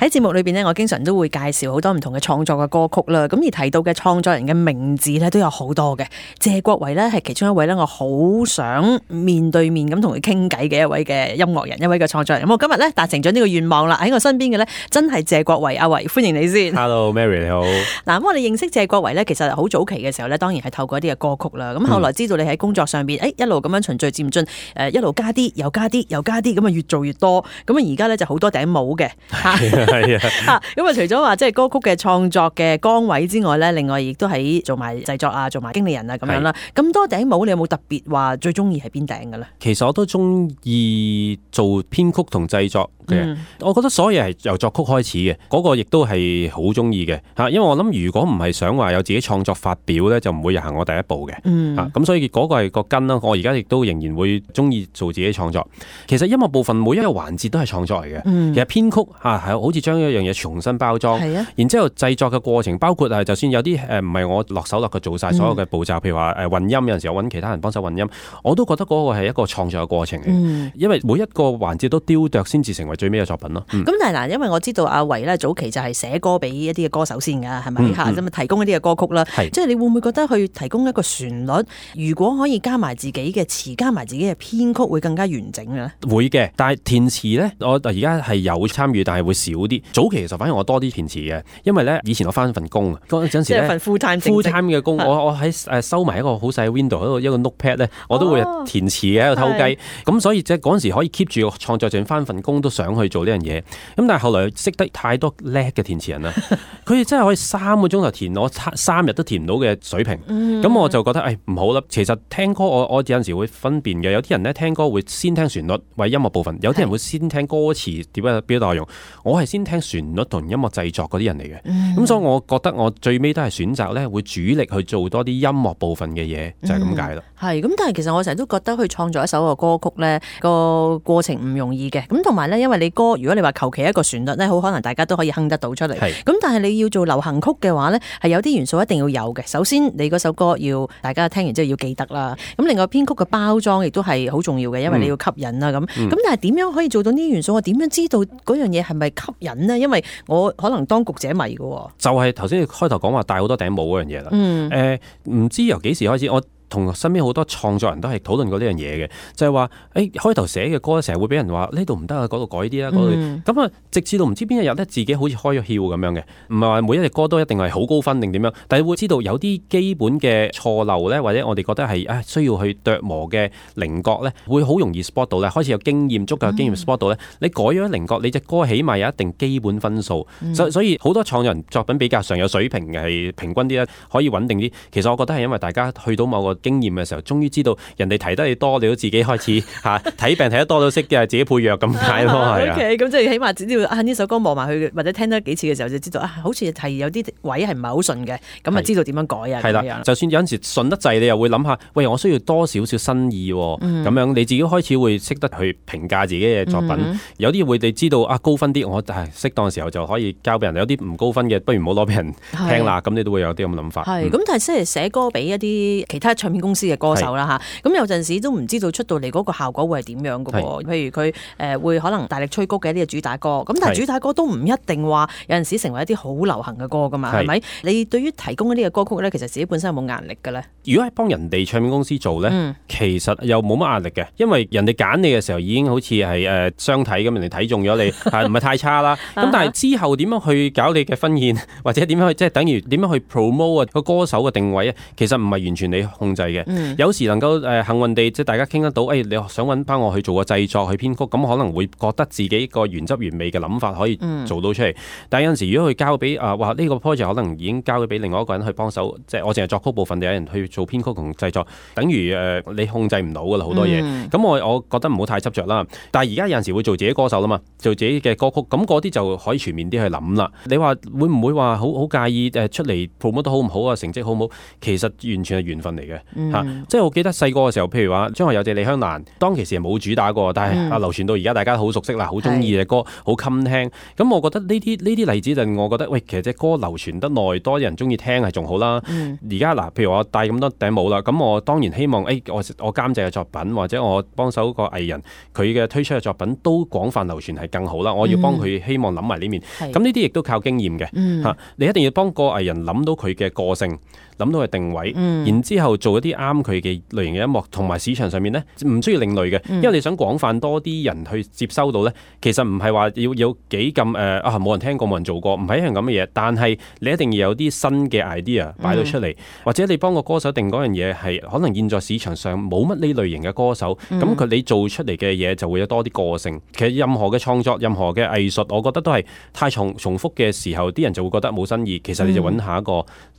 喺節目裏邊咧，我經常都會介紹好多唔同嘅創作嘅歌曲啦。咁而提到嘅創作人嘅名字咧，都有好多嘅。謝國維咧係其中一位咧，我好想面對面咁同佢傾偈嘅一位嘅音樂人，一位嘅創作人。咁我今日咧達成咗呢個願望啦。喺我身邊嘅咧，真係謝國維，阿維，歡迎你先。Hello Mary 你好。嗱，咁我哋認識謝國維咧，其實好早期嘅時候咧，當然係透過一啲嘅歌曲啦。咁後來知道你喺工作上邊，一路咁樣循序漸進，一路加啲，又加啲，又加啲，咁啊越做越多。咁啊而家咧就好多頂帽嘅。係啊，咁啊除咗話即係歌曲嘅創作嘅崗位之外咧，另外亦都喺做埋製作啊，做埋經理人啊咁樣啦。咁多頂帽，你有冇特別話最中意係邊頂嘅咧？其實我都中意做編曲同製作嘅。我覺得所有嘢係由作曲開始嘅，嗰個亦都係好中意嘅嚇。因為我諗如果唔係想話有自己創作發表咧，就唔會行我第一步嘅。咁所以嗰個係個根啦。我而家亦都仍然會中意做自己創作。其實音樂部分每一個環節都係創作嚟嘅。其實編曲係好似將一樣嘢重新包裝，然之後製作嘅過程，包括就算有啲唔係我落手落腳做晒所有嘅步驟，譬如話混音，有陣時我揾其他人幫手混音，我都覺得嗰個係一個創作嘅過程嚟。因為每一個環節都雕琢先至成為最尾嘅作品咯。咁但係嗱，因為我知道阿維咧早期就係寫歌俾一啲嘅歌手先㗎，係咪嚇？咁提供一啲嘅歌曲啦，即係你會唔會覺得去提供一個旋律，如果可以加埋自己嘅詞，加埋自己嘅編曲，會更加完整嘅咧？會嘅，但係填詞咧，我而家係有參與，但係會少啲。早期其實反而我多啲填詞嘅，因為咧以前我翻份工啊，嗰陣時咧份 full time 嘅工，我喺收埋一個好細嘅 window 喺度一個 notepad 咧，我都會填詞嘅喺度偷雞。咁所以即係嗰陣時可以 keep 住個創作，就算翻份工都想去做呢樣嘢。咁但係後來識得太多叻嘅填詞人啦，佢哋真係可以3個鐘頭填我3日都填唔到嘅水平。咁我就覺得唔好啦。其實聽歌我有陣時會分辨嘅，有啲人咧聽歌會先聽旋律為音樂部分，有啲人會先聽歌詞點樣表達內容。我係先聽旋律同音樂製作嗰啲人嚟嘅。咁所以我覺得我最尾都係選擇咧會主力去做多啲音樂部分嘅嘢，就係咁解啦。係咁，但係其實我成日都覺得去創作一首個歌曲咧個過程唔容易嘅。咁同埋咧，因為你歌如果你話求其一個旋律咧，好可能大家都可以哼得到出嚟。咁但係你要做流行曲嘅話咧，係有啲元素一定要有嘅。首先你嗰首歌要大家聽完之後要記得啦。咁另外編曲嘅包裝亦都係好重要嘅，因為你要吸引啦咁。咁但係點樣可以做到呢啲元素？我點樣知道嗰樣嘢係咪吸引呢？因為我可能當局者迷嘅。就係頭先你開頭講話戴好多頂帽嗰樣嘢啦。唔知由幾時開始，我同身邊好多創作人都係討論過呢樣嘢嘅，就係話開頭寫嘅歌成日會俾人話呢度唔得啊，嗰度改啲啦，嗰度咁啊，直至到唔知邊一日咧，自己好似開咗竅咁樣嘅，唔係話每一隻歌都一定係好高分定點樣，但係會知道有啲基本嘅錯漏咧，或者我哋覺得係需要去琢磨嘅稜角咧，會好容易 spot 到咧，開始有經驗足夠嘅經驗 spot 到咧，你改咗稜角，你隻歌起碼有一定基本分數，所以好多創作人作品比較上有水平嘅係平均啲咧，可以穩定啲。其實我覺得係因為大家去到某個經驗嘅時候，終於知道人哋提得你多，你都自己開始睇病睇得多都識嘅，自己配藥咁解咯，係啊。OK，咁即係起碼只要呢首歌望埋去，或者聽得幾次嘅時候，就知道好似係有啲位係唔係好順嘅，咁啊知道點樣改啊。係啦，就算有陣時順得滯，你又會諗下，喂，我需要多少少新意喎。咁樣你自己開始會識得去評價自己嘅作品。有啲會你知道高分啲，我適當嘅時候就可以交俾人；有啲唔高分嘅，不如唔好攞俾人聽啦。咁你都會有啲咁嘅諗法。咁但係即係寫歌俾一啲其他唱片公司嘅歌手啦嚇，咁有陣時都唔知道出到嚟嗰個效果會係點樣嘅喎。譬如佢會可能大力吹谷嘅一啲嘅主打歌，咁但係主打歌都唔一定話有陣時成為一啲好流行嘅歌噶嘛，係咪？你對於提供一啲嘅歌曲咧，其實自己本身有冇壓力嘅咧？如果係幫人哋唱片公司做咧，其實又冇乜壓力嘅，因為人哋揀你嘅時候已經好似係相睇咁，人哋睇中咗你，唔係太差啦。咁但係之後點樣去搞你嘅婚宴，或者點樣去即係等於點樣去 promote 個歌手嘅定位啊？其實唔係完全你控制嘅。有時能夠幸運地即係大家傾得到，你想揾翻我去做個製作去編曲，咁可能會覺得自己個原汁原味嘅諗法可以做到出嚟。但係有陣時如果佢交俾話呢個 project 可能已經交咗俾另外一個人去幫手，即係我淨係作曲部分，有人去做編曲同製作，等於你控制唔到噶啦好多嘢。咁我覺得唔好太執着啦。但係而家有陣時會做自己歌手啦嘛，做自己嘅歌曲，咁嗰啲就可以全面啲去諗啦。你話會唔會話好介意出嚟 promote 得好唔好啊？成績好唔好？其實完全係緣分嚟嘅。即係我記得細個嘅時候，譬如話張學友隻李香蘭，當其時係冇主打過，但係流傳到而家大家好熟悉啦，好中意嘅歌，好襟聽。咁我覺得呢啲例子就令我覺得，喂，其實隻歌流傳得耐，多啲人中意聽係仲好啦。而家嗱，譬如我戴咁多頂帽啦，咁我當然希望我監製嘅作品或者我幫手個藝人佢嘅推出嘅作品都廣泛流傳係更好啦。我要幫佢希望諗埋呢面，咁呢啲亦都靠經驗嘅。你一定要幫個藝人諗到佢嘅個性，諗到佢定位，然之後做一啲啱佢嘅類型嘅音樂，同埋市場上面呢，唔需要另類嘅，因為你想廣泛多啲人去接收到呢，其實唔係話要有幾咁冇人聽過冇人做過，唔係一樣咁嘅嘢，但係你一定要有啲新嘅 idea 擺到出嚟，或者你幫個歌手定嗰樣嘢係可能現在市場上冇乜呢類型嘅歌手，咁你做出嚟嘅嘢就會有多啲個性。其實任何嘅創作、任何嘅藝術，我覺得都係太重複嘅時候，啲人就會覺得冇新意。其實你就揾下一個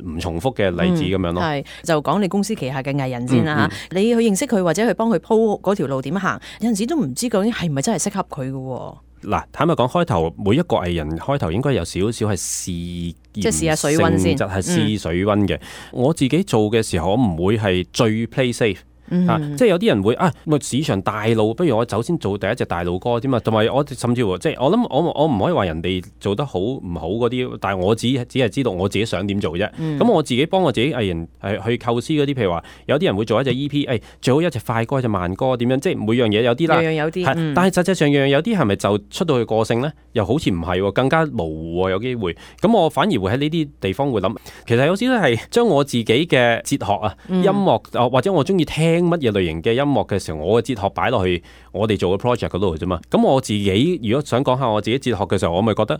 唔重複嘅例子咁樣咯。係就講你公司旗下嘅藝人先啦嚇，你去認識佢或者去幫佢鋪嗰條路點行，有陣時都唔知究竟係咪真係適合佢嘅喎。嗱，坦白講，開頭每一個藝人開頭應該有少少係試驗，即係試下水溫先，係試水溫嘅。我自己做嘅時候，我唔會係最 play safe。即係有啲人會市場大路，不如我首先做第一隻大路歌添嘛。同埋我甚至乎即係我諗我唔可以話人哋做得好唔好嗰啲，但係我只係知道我自己想點做啫。咁我自己幫我自己藝人去構思嗰啲，譬如話有啲人會做一隻 EP，最好一隻快歌一隻慢歌點樣，即係每樣嘢有啲啦。樣有啲，但係實際上樣有啲係咪就出到去個性咧？又好似唔係喎，更加模糊喎，有機會。咁我反而會喺呢啲地方會諗，其實有時都係將我自己嘅哲學音樂或者我中意聽乜嘢類型嘅音樂嘅時候，我嘅哲學擺落去我哋做嘅 project 嗰度啫嘛。咁我自己如果想講下我自己哲學嘅時候，我咪覺得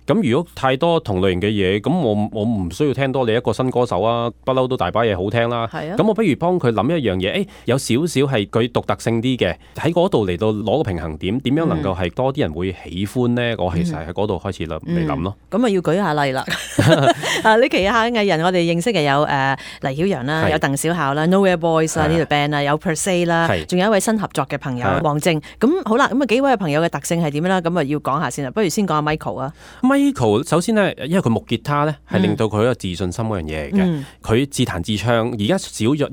咁如果太多同類型嘅嘢，咁我唔需要聽多你一個新歌手啊，不嬲都大把嘢好聽啦。咁我不如幫佢諗一樣嘢，有少少係佢獨特性啲嘅，喺嗰度嚟到攞個平衡點，點樣能夠係多啲人會喜歡呢？我其實喺嗰度開始嚟諗咯。咁要舉下例啦。你旗下藝人我哋認識嘅有黎曉陽啦，有鄧小巧啦 ，Nowhere Boys 啦呢條 band 啦，有 Per Se 啦，仲有一位新合作嘅朋友黃靖。咁好啦，咁幾位朋友嘅特性係點樣啦？咁要講下先啦。不如先講下 Michael 啊。Michael 首先呢，因為佢木吉他咧係令到佢一個自信心嗰樣嘢嚟嘅。佢自彈自唱，而家少咗，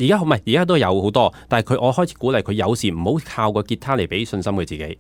而家都有好多，但係我開始鼓勵佢有時唔好靠個吉他嚟俾信心佢自己。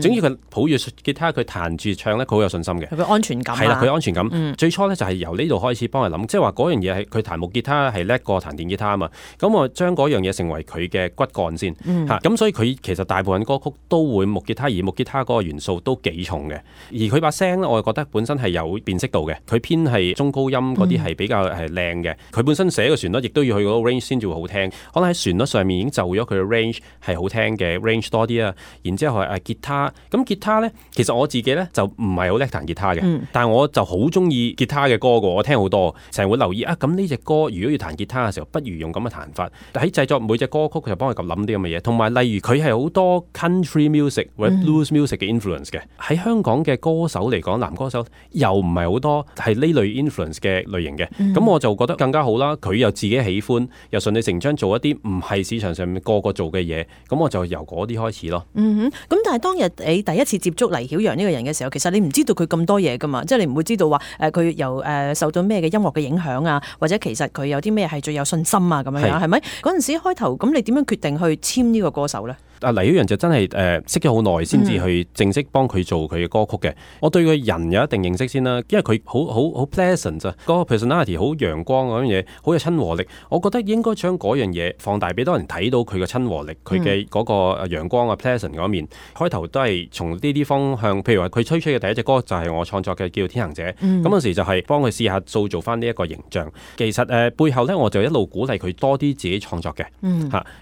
總之佢抱住吉他，佢彈住唱咧，佢好有信心嘅。佢安全感係啦，佢安全感。最初咧就係由呢度開始幫佢諗，即係話嗰樣嘢係佢彈木吉他係叻過彈電吉他啊嘛。咁我將嗰樣嘢成為佢嘅骨幹先。咁所以佢其實大部分歌曲都會木吉他，而木吉他嗰個元素都幾重嘅。而佢把聲咧，我覺得本身係有辨識度嘅。佢偏係中高音嗰啲係比較係靚嘅。佢本身寫嘅旋律亦都要去嗰個 range 先至會好聽。可能喺旋律上面已經就咗佢嘅 range 係好聽嘅 range 多啲啊。然之後係吉他，咁吉他咧其實我自己咧就唔係好叻彈吉他嘅，但係我就好中意吉他嘅歌㗎，我聽好多，成日會留意咁呢隻歌如果要彈吉他嘅時候，不如用咁嘅彈法。喺製作每隻歌曲，佢就幫佢咁諗啲咁嘅嘢。同埋例如佢係好多 country music 或者 blues music 嘅 influence 嘅。喺香港嘅歌手嚟講，男歌手又唔係好多係呢類 influence 嘅類型嘅。咁我就覺得更加好啦。佢又自己喜歡，又順理成章做一啲唔係市場上面個個做嘅嘢。咁我就由嗰啲開始咯。咁但係當日你第一次接觸黎曉陽呢個人嘅時候，其實你唔知道佢咁多嘢噶嘛，即係你唔會知道話佢由受到咩嘅音樂嘅影響啊，或者其實佢有啲咩係最有信心啊咁樣，係咪？嗰陣時開頭咁，你點樣決定去簽呢個歌手咧？黎曉陽就真係識咗好耐先至去正式幫佢做佢嘅歌曲嘅。我對佢人有一定認識先啦，因為佢好 pleasant 咋，嗰個 personality 好陽光嗰樣嘢，好有親和力。我覺得應該將嗰樣嘢放大俾多人睇到佢嘅親和力，佢嘅嗰個陽光啊 pleasant 嗰面。開頭都係從呢啲方向，譬如話佢推出嘅第一隻歌就係我創作嘅，叫《天行者》。咁嗰時就係幫佢試下塑造翻呢一個形象。其實背後咧，我就一路鼓勵佢多啲自己創作嘅。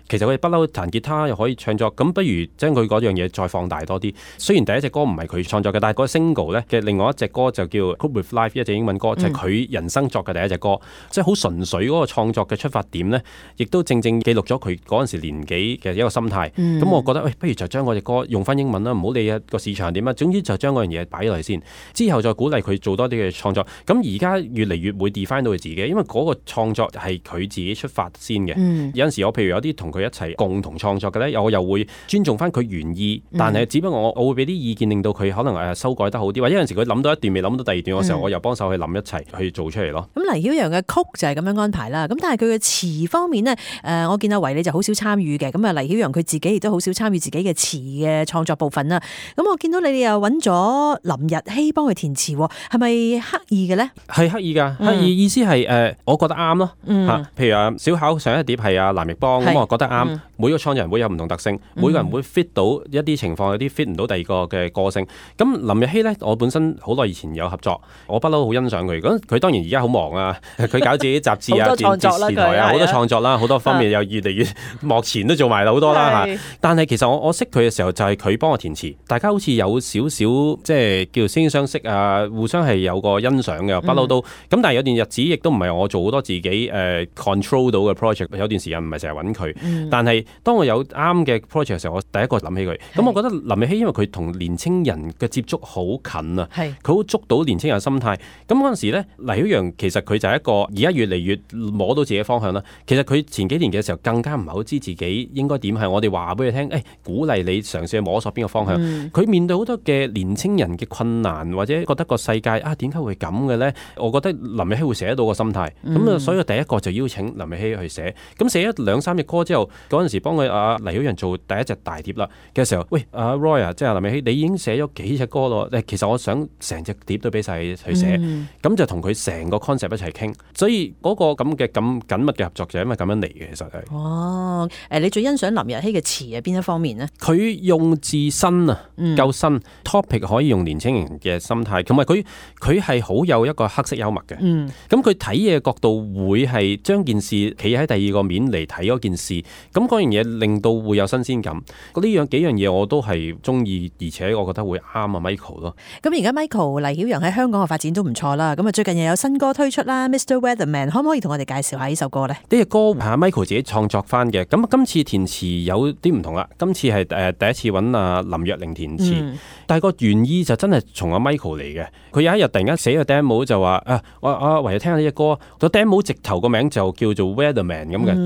其實佢不嬲彈吉他又可以唱作。咁不如將佢嗰樣嘢再放大多啲。雖然第一隻歌唔係佢創作嘅，但係嗰個 single 咧嘅另外一隻歌就叫 Cope with Life， 一隻英文歌，就係佢人生作嘅第一隻歌，即係好純粹嗰個創作嘅出發點咧，亦都正正記錄咗佢嗰陣時年紀嘅一個心態。咁我覺得不如就將嗰隻歌用翻英文啦，唔好理個市場點啊，總之就將嗰樣嘢擺落嚟先，之後再鼓勵佢做多啲嘅創作。咁而家越嚟越會 define 到佢自己，因為嗰個創作係佢自己出發先嘅。有陣時我譬如有啲同佢一齊共同創作嘅咧，我又會會尊重翻佢原意，但係只不過我會俾啲意見，令到佢可能修改得好啲，或者有陣時佢諗到一段未諗到第二段嘅時候，我又幫手去諗一齊去做出嚟咯。咁黎曉陽嘅曲就係咁樣安排啦。咁但係佢嘅詞方面呢，我見阿維你就好少參與嘅。咁啊，黎曉陽佢自己亦都好少參與自己嘅詞嘅創作部分啦。咁我見到你哋又揾咗林日曦幫佢填詞，係咪刻意嘅咧？係刻意㗎，刻意意思係我覺得啱咯嚇。譬如小巧上一碟係阿藍奕邦，咁我覺得啱。每個創作人會有唔同特性，每個人會 fit 到一啲情況，有啲 fit 唔到第二個嘅個性。咁林日曦咧，我本身好耐以前有合作，我不嬲好欣賞佢。咁佢當然而家好忙啊，佢搞自己雜誌啊、電視台啊，好多創作啦，好多方面又越嚟越幕前都做埋好多啦嚇。但係其實我識佢嘅時候就係佢幫我填詞，大家好似有少少即係叫惺惺相惜啊，互相係有個欣賞嘅，不嬲都。咁但係有段日子亦都唔係我做好多自己control 到嘅 project， 有段時間唔係成日揾佢，但係當我有啱嘅 project 嘅時候，我第一個諗起佢。咁我覺得林日曦因為佢同年青人嘅接觸好近啊，佢好捉到年青人嘅心態。咁嗰陣時咧，黎曉陽其實佢就係一個而家越嚟越摸到自己嘅方向啦。其實佢前幾年嘅時候更加唔係好知自己應該點，係我哋話俾佢聽，鼓勵你嘗試去摸索邊個方向。佢面對好多嘅年青人嘅困難，或者覺得個世界點解會咁嘅咧？我覺得林日曦會寫得到個心態。咁所以第一個就邀請林日曦去寫。咁寫咗2-3隻歌之後，嗰陣時幫佢黎曉陽做第一隻大碟啦嘅時候，喂Roy 啊，即係林日曦，你已經寫咗幾隻歌咯？其實我想成隻碟都俾晒佢去寫，咁就同佢成個 concept 一齊傾。所以嗰個咁緊密嘅合作就係因為咁樣嚟嘅，其實係。哦，你最欣賞林日曦嘅詞係邊一方面呢？佢用字新啊，夠新 topic 可以用年輕人嘅心態，同埋佢係好有一個黑色幽默嘅。咁佢睇嘢角度會係將件事企喺第二個面嚟睇嗰件事，咁嗰樣嘢令到會有新鮮感。呢幾樣嘢我都係中意，而且我覺得會啱啊 Michael 咯。咁而家 Michael 黎曉陽喺香港嘅發展都唔錯啦。咁啊最近又有新歌推出啦 ，Mr. Weatherman， 可唔可以同我哋介紹下呢首歌呢？呢隻歌係 Michael 自己創作翻嘅。咁今次填詞有啲唔同啦。今次係第一次揾阿林若寧填詞，但係個原意就真係從阿 Michael 嚟嘅。佢有一日突然間寫個 demo 就話我唯有聽下呢隻歌。個 demo 直頭個名就叫做 Weatherman 咁嘅，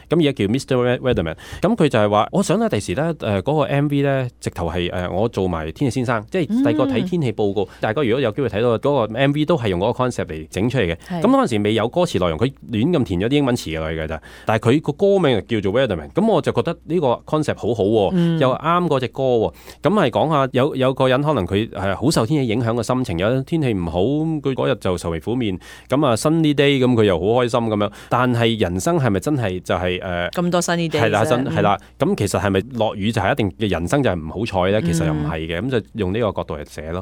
咁而家叫 Mr. Weatherman。咁佢就係話，我想咧第時咧嗰個 MV 咧直頭係我做埋天氣先生，即係第個睇天氣報告。大家如果有機會睇到嗰個 MV 都係用嗰個 concept 嚟整出嚟嘅。咁嗰陣時未有歌詞內容，佢亂咁填咗啲英文詞落去嘅咋。但係佢個歌名就叫做 Weatherman。咁我就覺得呢個 concept 好好，又啱嗰隻歌。咁係講下有個人可能佢係好受天氣影響嘅心情，有天氣唔好，佢嗰日就愁眉苦面。咁啊 sunny day，咁佢又好開心咁樣。但係人生係咪真係就係咁多 sunny day？ 係啦，咁其實係咪落雨就係一定嘅人生就係唔好彩咧？其實又唔係嘅，咁就用呢個角度嚟寫咯。